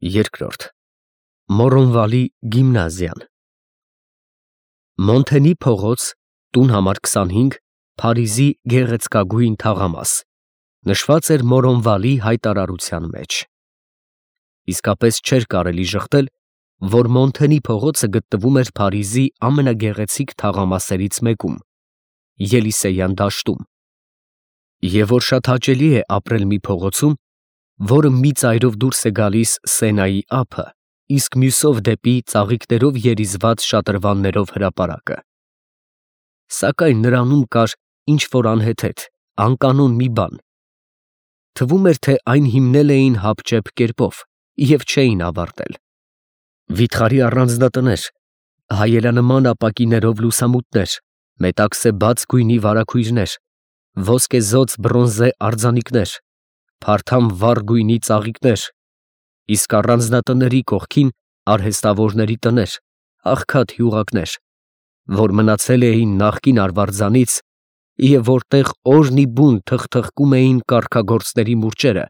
Երկրորդ Մորոնվալի գիմնազիան Մոնթենի փողոց, տուն համար 25, Փարիզի գեղեցկագույն թաղամաս, նշված էր Մորոնվալի հայտարարության մեջ։ Իսկապես չէր կարելի ժխտել, որ Մոնթենի փողոցը գտնվում էր Փարիզի ամենագեղեցիկ թաղամասերից մեկում, Ելիսեյան դաշտում, և որ շատ հաճելի է ապրել մի փողոցում, որը մի ծայրով դուրս է գալիս Սենայի ափը, իսկ մյուսով դեպի ծաղիկներով երիզված շատրվաններով հրապարակը։ Սակայն նրանում կար ինչ-որ անհեթեթ, անկանոն մի բան. թվում էր, թե այն հիմնել էին հապճեպ կերպով և չէին ավարտել։ Վիթխարի առանձնատներ, հայելանման ապակիներով լուսամուտներ, մետաքսե բաց գույնի վարագույրներ, ոսկեզօծ բրոնզե արձանիկներ, փարթամ վառ գույնի ծաղիկներ, իսկ առանձնատների կողքին արհեստավորների տներ, աղքատ հյուղակներ, որ մնացել էին նախկին արվարձանից և որտեղ օրնիբուն թխթխկում էին կարգագործների մուրճերը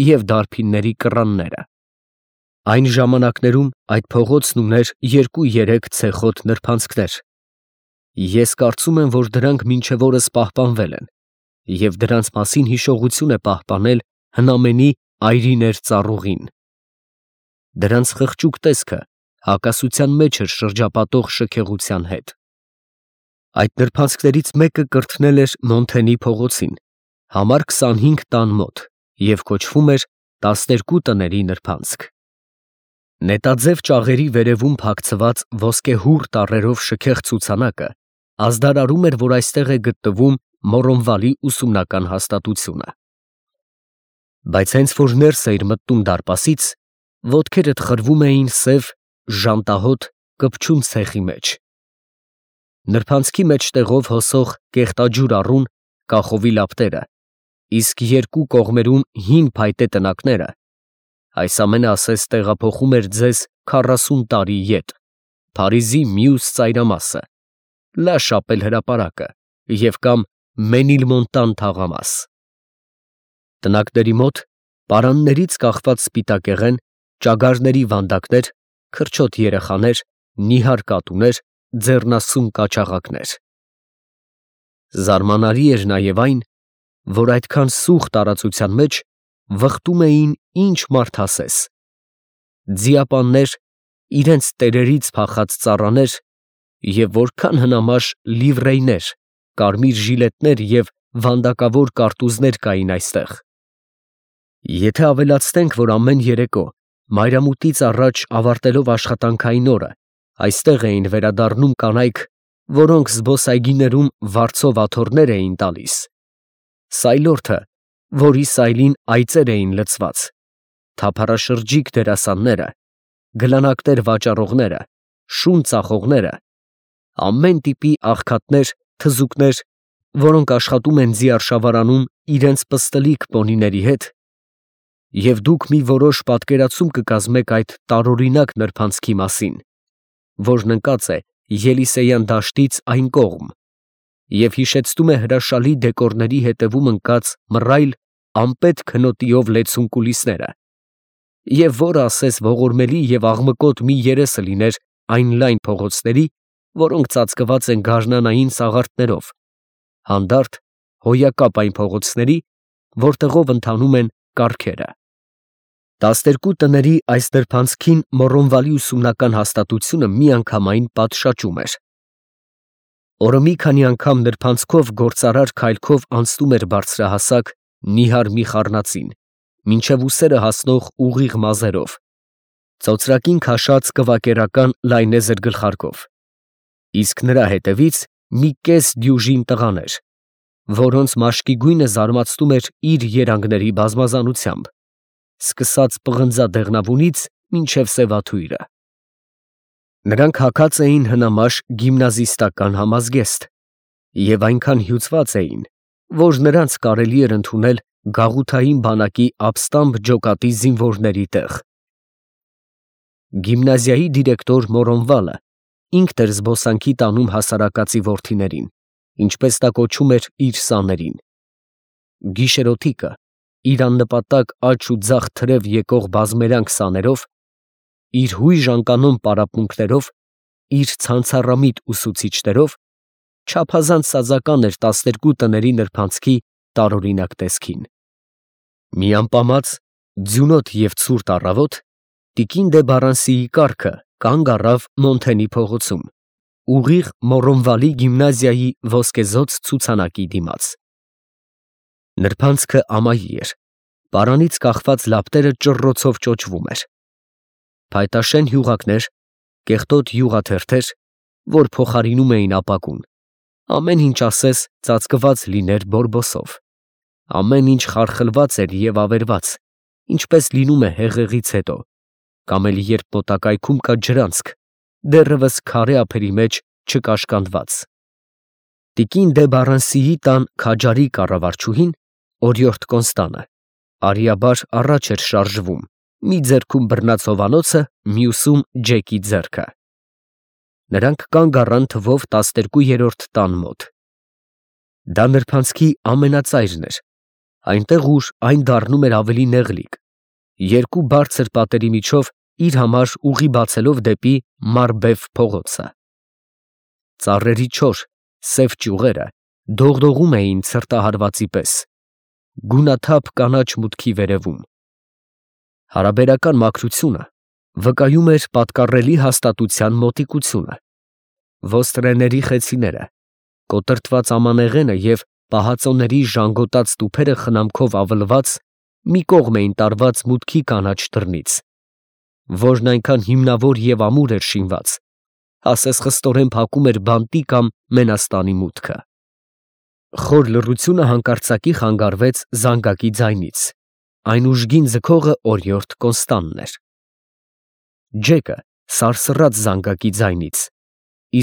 և դարբինների կռանները։ Այն ժամանակներում այդ փողոցն ուներ 2-3 ցեխոտ նրբանցքներ։ Ես կարծում եմ, որ դրանք մինչև օրս պահպանվել են, և դրանց մասին հիշողություն է պահպանել հնամենի այրիներ ծառուղին։ Դրանց խղճուկ տեսքը հակասության մեջ էր շրջապատող շքեղության հետ։ Այդ նրբանցքներից մեկը կրթնել էր Մոնթենի փողոցին, համար 25 տան մոտ, և կոչվում էր 12 տների նրբանցք։ Նետաձև ճաղերի վերևում փակցված ոսկեհուռ տառերով շքեղ ցուցանակը ազդարարում էր, որ այստեղ է գտնվում Մորոնվալի ուսումնական հաստատությունը։ Բայց հենց որ ներս էիր մտնում դարպասից, ոտքերդ խրվում էին սև, ժանտահոտ, կպչուն ցեխի մեջ։ Նրբանցքի մեջտեղով հոսող կեղտաջուր առուն, կախովի լապտերը, իսկ երկու կողմերում հին փայտե տնակները, այս ամենը ասես տեղափոխում էր ձեզ 40 տարի ետ, Փարիզի մյուս ծայրամասը, Լա Շապել հրապարակը և կամ Մենիլմոնտան թաղամաս։ Տնակների մոտ պարաններից կախված սպիտակեղեն, ճագարների վանդակներ, քրչոտ երեխաներ, նիհար կատուներ, ձեռնասուն կաչաղակներ։ Զարմանալի էր նաև այն, որ այդքան սուղ տարածության մեջ վխտում էին ինչ մարդ ասես. ձիապաններ, իրենց տերերից փախած ծառաներ և որքան հնամաշ լիվրեյներ, կարմիր ժիլետներ և վանդակավոր կարտուզներ կային այստեղ։ Եթե ավելացնենք, որ ամեն երեկո, մայրամուտից առաջ ավարտելով աշխատանքային օրը, այստեղ էին վերադառնում կանայք, որոնք զբոսայգիներում վարձով աթոռներ էին տալիս, սայլորդը, որի սայլին այծեր էին լցված, թափառաշրջիկ դերասանները, գլանակներ վաճառողները, շուն ծախողները, ամեն տիպի աղքատներ, թզուկներ, որոնք աշխատում են ձիարշավարանում իրենց պստլիկ պոնիների հետ, և դուք մի որոշ պատկերացում կկազմեք այդ տարօրինակ նրբանցքի մասին, որն ընկած է Ելիսեյան դաշտից այն կողմ և հիշեցնում է հրաշալի դեկորների հետևում ընկած մռայլ, անպետ քնոտիով լեցուն կուլիսները, և որը ասես ողորմելի և աղմկոտ մի երեսը լիներ այն լայն փողոցների, որոնք ծածկված են գարնանային սաղարթներով, հանդարտ, հոյակապ այն փողոցների, որտեղով ընթանում են կառքերը։ 12 տների այս նրբանցքին Մորոնվալի ուսումնական հաստատությունը միանգամայն պատշաճում էր։ Օրը մի քանի անգամ նրբանցքով գործարար քայլքով անցնում էր բարձրահասակ, նիհար մի խառնածին, մինչև ուսերը հասնող ուղիղ մազերով, ծոծրակին քաշած կվակերական լայնեզր գլխարկով, իսկ նրա հետևից մի կես դյուժին տղաներ, որոնց մաշկի գույնը զարմացնում էր իր երանգների բազմազանությամբ, սկսած պղնձադեղնավունից մինչև սևաթույրը։ Նրանք հագած էին հնամաշ գիմնազիստական համազգեստ և այնքան հյուծված էին, որ նրանց կարելի էր ընդունել գաղութային բանակի ապստամբ ջոկատի զինվորների տեղ։ Գիմնազիայի դիրեկտոր Մորոնվալը ինքն էր զբոսանքի տանում հասարակածի որդիներին, ինչպես նա կոչում էր իր սաներին։ Գիշերօթիկը իր աննպատակ աջ ու ձախ թրև եկող բազմերանգ սաներով իր հույժ անկանոն պարապմունքներով, իր ցանցառամիտ ուսուցիչներով, չափազանց սազական էր 12 տների նրբանցքի տարօրինակ տեսքին։ Մի ամպամած, ձյունոտ և ցուրտ առավոտ տիկին դե Բարանսիի կառքը կանգ առավ Մոնթենի փողոցում, ուղիղ Մորոնվալի գիմնազիայի ոսկեզօծ ցուցանակի դիմաց։ Նրբանցքը ամայի էր, պարանից կախված լապտերը ճռռոցով ճոճվում էր։ Փայտաշեն յուղակներ, կեղտոտ յուղաթերթեր, որ փոխարինում էին ապակուն, ամեն ինչ ասես ծածկված լիներ բորբոսով, ամեն ինչ խարխլված էր և ավերված, ինչպես լինում է հեղեղից հետո, կամ էլ երբ մոտակայքում կա ջրանցք, դեռևս քարե ափերի մեջ չկաշկանդված։ Տիկին դե Բարանսիի տան քաջարի կառավարչուհին, օրիորդ Կոնստանը, արիաբար առաջ էր շարժվում, մի ձեռքում բռնած հովանոցը, մյուսում Ջեկի ձեռքը։ Նրանք կանգ առան թվով 12-րդ տան մոտ։ Դա նրբանցքի ամենածայրն էր, այնտեղ ուր այն դառնում էր ավելի նեղլիկ, երկու բարձր պատերի միջով իր համար ուղի բացելով դեպի Մարբեֆ փողոցը։ Ծառերի չոր, սև ճյուղերը դողդողում էին ցրտահարվածի պես, գունաթափ կանաչ մուտքի վերևում։ Հարաբերական մաքրությունը վկայում էր պատկառելի հաստատության մոտիկությունը։ Ոստրեների խեցիները, կոտրտված ամանեղենը և պահածոների ժանգոտած տուփերը խնամքով ավլված մի կողմ էին տարված մուտքի կանաչ դռնից, որն այնքան հիմնավոր և ամուր էր շինված, ասես խստորեն փակում էր բանտի կամ մենաստանի մուտքը։ Խոր լռությունը հանկարծակի խանգարվեց զանգակի ձայնից, այն ուժգին ձգողը օրիորդ Կոնստանն էր։ Ջեկը սարսռաց զանգակի ձայնից,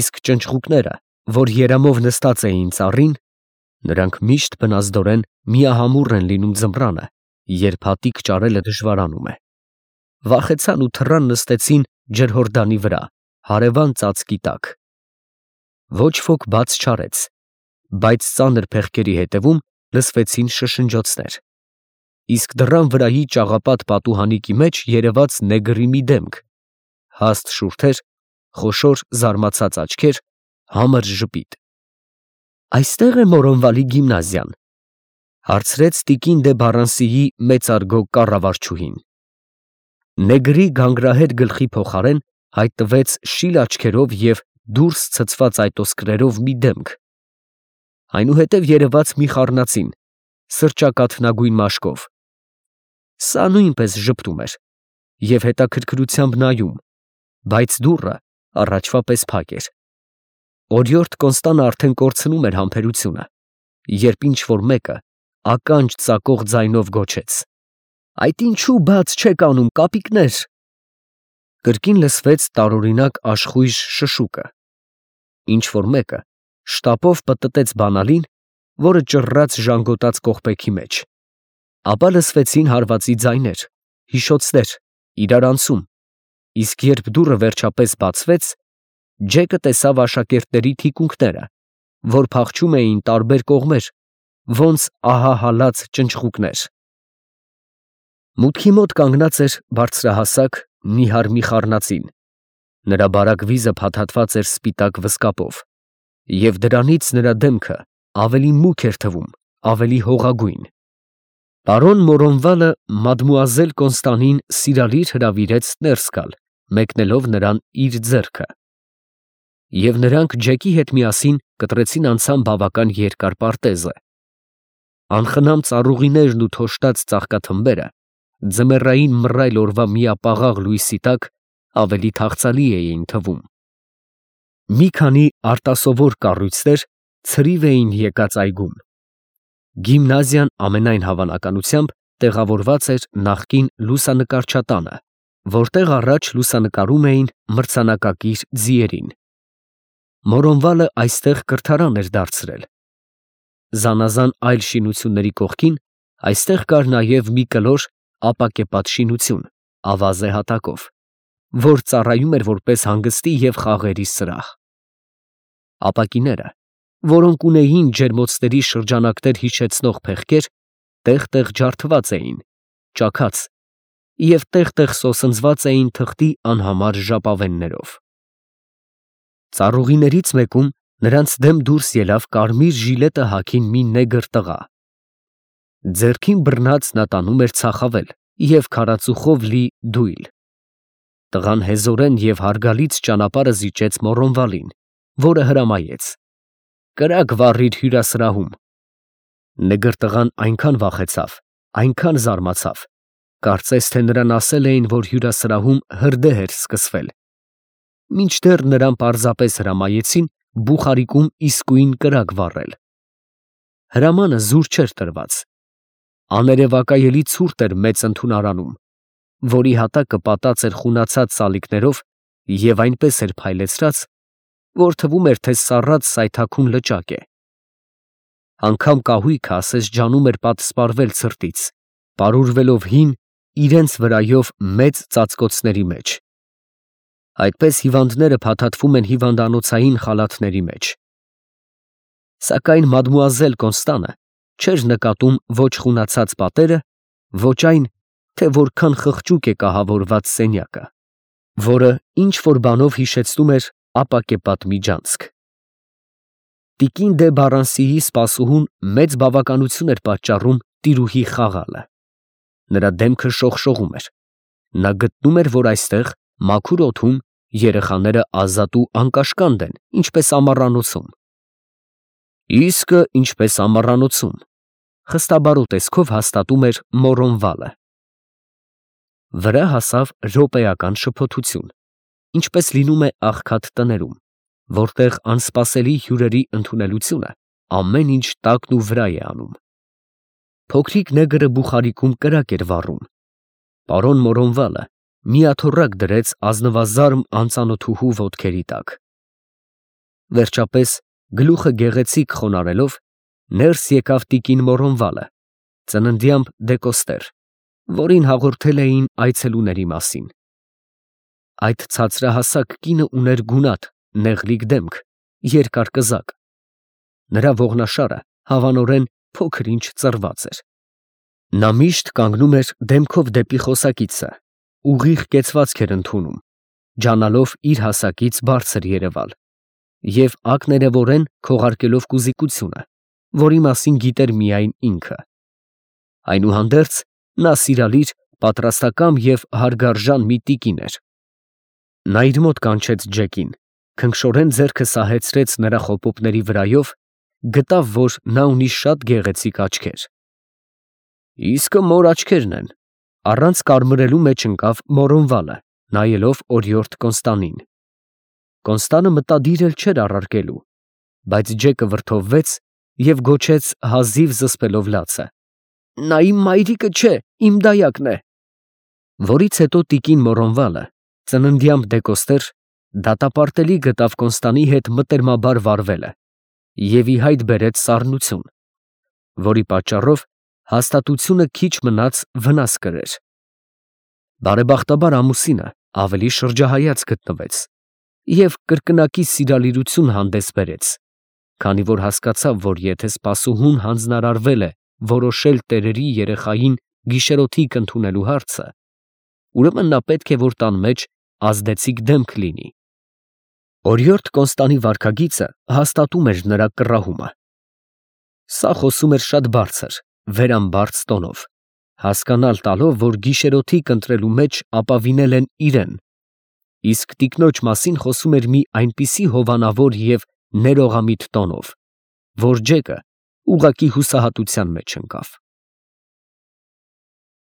իսկ ճնճղուկները, որ երամով նստած էին ծառին, նրանք միշտ բնազդորեն միահամուռ են լինում ձմռանը, երբ հատիկ ճարելը դժվարանում է, վախեցան ու թռան նստեցին ջրհորդանի վրա, հարևան ծածկի տակ։ Ոչ ոք բաց չարեց, բայց ծանր փեղկերի հետևում լսվեցին շշնջոցներ, իսկ դռան վրայի ճաղապատ պատուհանիկի մեջ երևաց նեգրի մի դեմք, հաստ շուրթեր, խոշոր զարմացած աչքեր, համր ժպիտ։ «Այստե՞ղ է Մորոնվալի գիմնազիան», հարցրեց տիկին դե Բարանսիի մեծարգո կառավարչուհին։ Նեգրի գանգրահետ գլխի փոխարեն հայտնվեց շիլ աչքերով և դուրս ցցված այտոսկրերով մի դեմք, այնուհետև երևաց մի խառնածին, սրճակաթնագույն մաշկով։ Սա նույնպես ժպտում էր և հետաքրքրությամբ նայում, բայց դուռը առաջվա պես փակ էր։ Օրիորդ Կոնստանը արդեն կորցնում էր համբերությունը, երբ ինչ֊որ մեկը ականջ ծակող ձայնով գոչեց. «Այդ ինչու բաց չեք անում, կապիկներ»։ Կրկին լսվեց տարօրինակ աշխույժ շշուկը։ Ինչ֊որ մեկը շտապով պտտեց բանալին, որը ճռռաց ժանգոտած կողպեքի մեջ, ապա լսվեցին հարվածի ձայներ, հիշոցներ, իրարանցում, իսկ երբ դուռը վերջապես բացվեց, Ջեկը տեսավ աշակերտների թիկունքները, որ փախչում էին տարբեր կողմեր, ոնց ահահալած ճնճղուկներ։ Մուտքի մոտ կանգնած էր բարձրահասակ, նիհար մի խառնածին, նրա բարակ վիզը փաթաթված էր սպիտակ վզկապով, և դրանից նրա դեմքը ավելի մուգ էր թվում, ավելի հողագույն։ Պարոն Մորոնվալը մադմուազել Կոնստանին սիրալիր հրավիրեց ներս գալ, մեկնելով նրան իր ձեռքը, և նրանք Ջեկի հետ միասին կտրեցին անցան բավական երկար պարտեզը։ Անխնամ ծառուղիներն ու թոշտած ծաղկաթմբերը ձմեռային մռայլ օրվա միապաղաղ լույսի տակ ավելի թախծալի էին թվում։ Մի քանի արտասովոր կառույցներ ցրիվ էին եկած այգում։ Գիմնազիան ամենայն հավանականությամբ տեղավորված էր նախկին լուսանկարչատանը, որտեղ առաջ լուսանկարում էին մրցանակակիր ձիերին։ Մորոնվալը այստեղ կրթարան էր դարձրել։ Զանազան այլ շինությունների կողքին այստեղ կար նաև մի կլոր ապակեպատ շինություն, ավազե հատակով, որ ծառայում էր որպես հանգստի և խաղերի սրահ։ Ապակիները, որոնք ունեին ջերմոցների շրջանակներ հիշեցնող փեղկեր, տեղ֊տեղ ջարդված էին, ճաքած, և տեղ-տեղ սոսնձված էին թղթի անհամար ժապավեններով։ Ծառուղիներից մեկում նրանց դեմ դուրս ելավ կարմիր ժիլետը հագին մի նեգր տղա։ Ձեռքին բռնած նա տանում էր ցախավել և քարածուխով լի դույլ։ Տղան հեզորեն և հարգալից ճանապարհը զիջեց Մոռոնվալին, որը հրամայեց. «Կրակ վառիր հյուրասրահում»։ Նեգր տղան այնքան վախեցավ, այնքան զարմացավ, կարծես թե նրան ասել էին, որ հյուրասրահում հրդեհ էր սկսվել, մինչդեռ նրան պարզապես հրամայեցին բուխարիկում իսկույն կրակ վառել։ Հրամանը զուր չէր տրված։ Աներևակայելի ցուրտ էր մեծ ընդունարանում, որի հատակը պատած էր խունացած սալիկներով և այնպես էր փայլեցրած, որ թվում էր, թե սառած սայթաքուն լճակ է։ Անգամ կահույքը ասես ջանում էր պատսպարվել ցրտից, պարուրվելով հին, իրենց վրայով մեծ ծածկոցների մեջ։ Այդպես հիվանդները փաթաթվում են հիվանդանոցային խալաթների մեջ։ Սակայն մադմուազել Կոնստանը չէր նկատում ոչ խունացած պատերը, ոչ այն, թե որքան խղճուկ է կահավորված սենյակը, որը ինչ֊որ բանով հիշեցնում էր ապակեպատ միջանցք։ Տիկին դե Բարանսիի սպասուհուն մեծ բավականություն էր պատճառում տիրուհի խաղալը։ Նրա դեմքը շողշողում էր։ Նա գտնում էր, որ այստեղ, մաքուր օդում, երեխաները ազատ ու անկաշկանդ են, ինչպես ամառանոցում։ Իսկը ինչպես ամառանոցում, խստաբարո տեսքով հաստատում էր Մոռոնվալը։ Վրա հասավ րոպեական շփոթություն, ինչպես լինում է աղքատ տներում, որտեղ անսպասելի հյուրերի ընդունելությունը ամեն ինչ տակն ու վրա է անում։ Փոքրիկ նեգրը բուխարիկում կրակ էր վառում։ Պարոն Մոռոնվալը միաթոռակ դրեց ազնվազարմ անծանոթուհու ոտքերի տակ։ Վերջապես, գլուխը գեղեցիկ խոնարհելով, ներս եկավ տիկին Մոռոնվալը, ծննդյամբ դեկոստեր, որին հաղորդել էին այցելուների մասին։ Այդ ցածրահասակ կինը ուներ գունատ, նեղլիկ դեմք, երկար կզակ։ Նրա ողնաշարը հավանորեն փոքր-ինչ ծռված էր։ Նա միշտ կանգնում էր դեմքով դեպի խոսակիցը, ուղիղ կեցվածք էր ընդունում, ջանալով իր հասակից բարձր երևալ, և ակներևորեն քողարկելով կուզիկությունը, որի մասին գիտեր միայն ինքը։ Այնուհանդերձ, նա սիրալիր, պատրաստակամ և հարգարժան մի տիկին էր։ Նա իր մոտ կանչեց Ջեկին, քնքշորեն ձեռքը սահեցրեց նրա խոպոպների վրայով, գտավ, որ նա ունի շատ գեղեցիկ աչքեր։ Իսկը մոր աչքերն են, առանց կարմրելու մեջ ընկավ Մոռոնվալը, նայելով օրիորդ Կոնստանին։ Կոնստանը մտադիր էլ չէր առարկելու, բայց Ջեկը վրդովվեց և գոչեց հազիվ զսպելով լացը. «Նա իմ մայրիկը չէ, իմ դայակն է»։ Որից հետո տիկին Մոռոնվալը, ծննդյամբ դեկոստեր, դատապարտելի գտավ Կոնստանի հետ մտերմաբար վարվելը և ի հայտ բերեց սառնություն, որի պատճառով հաստատությունը քիչ մնաց վնաս կրեր։ Բարեբախտաբար ամուսինը ավելի շրջահայաց գտնվեց և կրկնակի սիրալիրություն հանդես բերեց, քանի որ հասկացավ, որ եթե սպասուհուն հանձնարարվել է որոշել տերերի երեխային գիշերօթիկ ընդունելու հարցը, ուրեմն նա պետք է, որ տան մեջ ազդեցիկ դեմք լինի։ Օրիորդ Կոնստանի վարքագիծը հաստատում էր նրա կռահումը։ Սա խոսում էր շատ բարձր, վերամբարձ տոնով, հասկանալ տալով, որ գիշերօթիկ ընտրելու մեջ ապավինել են իրեն, իսկ տիկնոջ մասին խոսում էր մի այնպիսի հովանավոր և ներողամիտ տոնով, որ Ջեկը ուղղակի հուսահատության մեջ ընկավ։